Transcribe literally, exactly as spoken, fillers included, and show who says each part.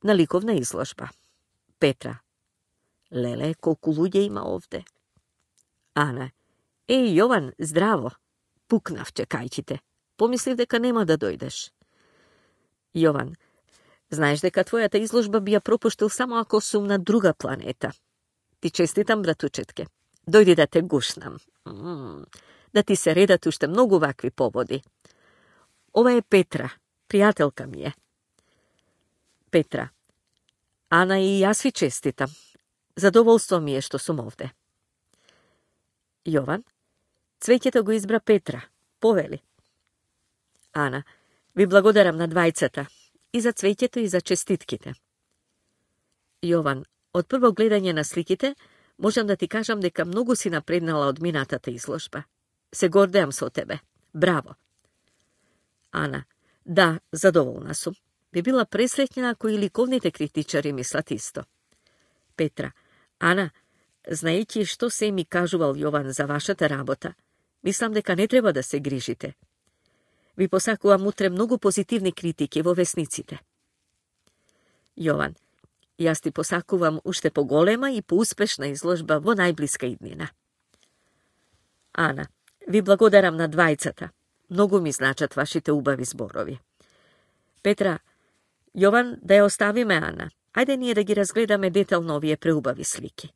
Speaker 1: Na likovna izložba. Petra. Lele, koliko ludje ima ovde. Ana. Ej, Jovan, zdravo. Puknavče, kajćite. Pomisliv deka nema da dojdeš. Jovan. Znaš deka tvoja ta izložba bija propuštil samo ako su na druga planeta. Ti čestitam, bratučetke. Dojdi da te gušnam. Mm, da ti se reda tušte mnogo ovakvi povodi. Ova je Petra, prijateljka mi je. Petra. Ana i ja svi čestitam. Zadovoljstvo mi je što sam ovde. Jovan. Cvećete go izbra Petra. Poveli. Ana. Vi blagodaram na dvajceta. I za cvećete i za čestitkite. Jovan. Od prvog gledanja na slikite možem da ti kažem deka mnogo si naprednala od minata ta izložba. Se gordejam se od tebe. Bravo. Ana. Da, zadovoljna sam. Bi bila presretnjena ako i likovnite kritičari mislat isto. Petra. Ana, znajući što se mi kažuval Jovan za vašata rabota, mislim deka ne treba da se grižite. Vi posakuvam utre mnogo pozitivne kritike vo vesnicite. Jovan. Jas ti posakuvam ušte po golema i po uspešna izložba vo najbliska idnina. Ana. Vi blagodaram na dvajcata. Mnogo mi značat vašite ubavi zborovi. Petra. Jovan, da je ostavi me, Ana. Ajde nije da gi razgledame detaljno ovije preubavi slike.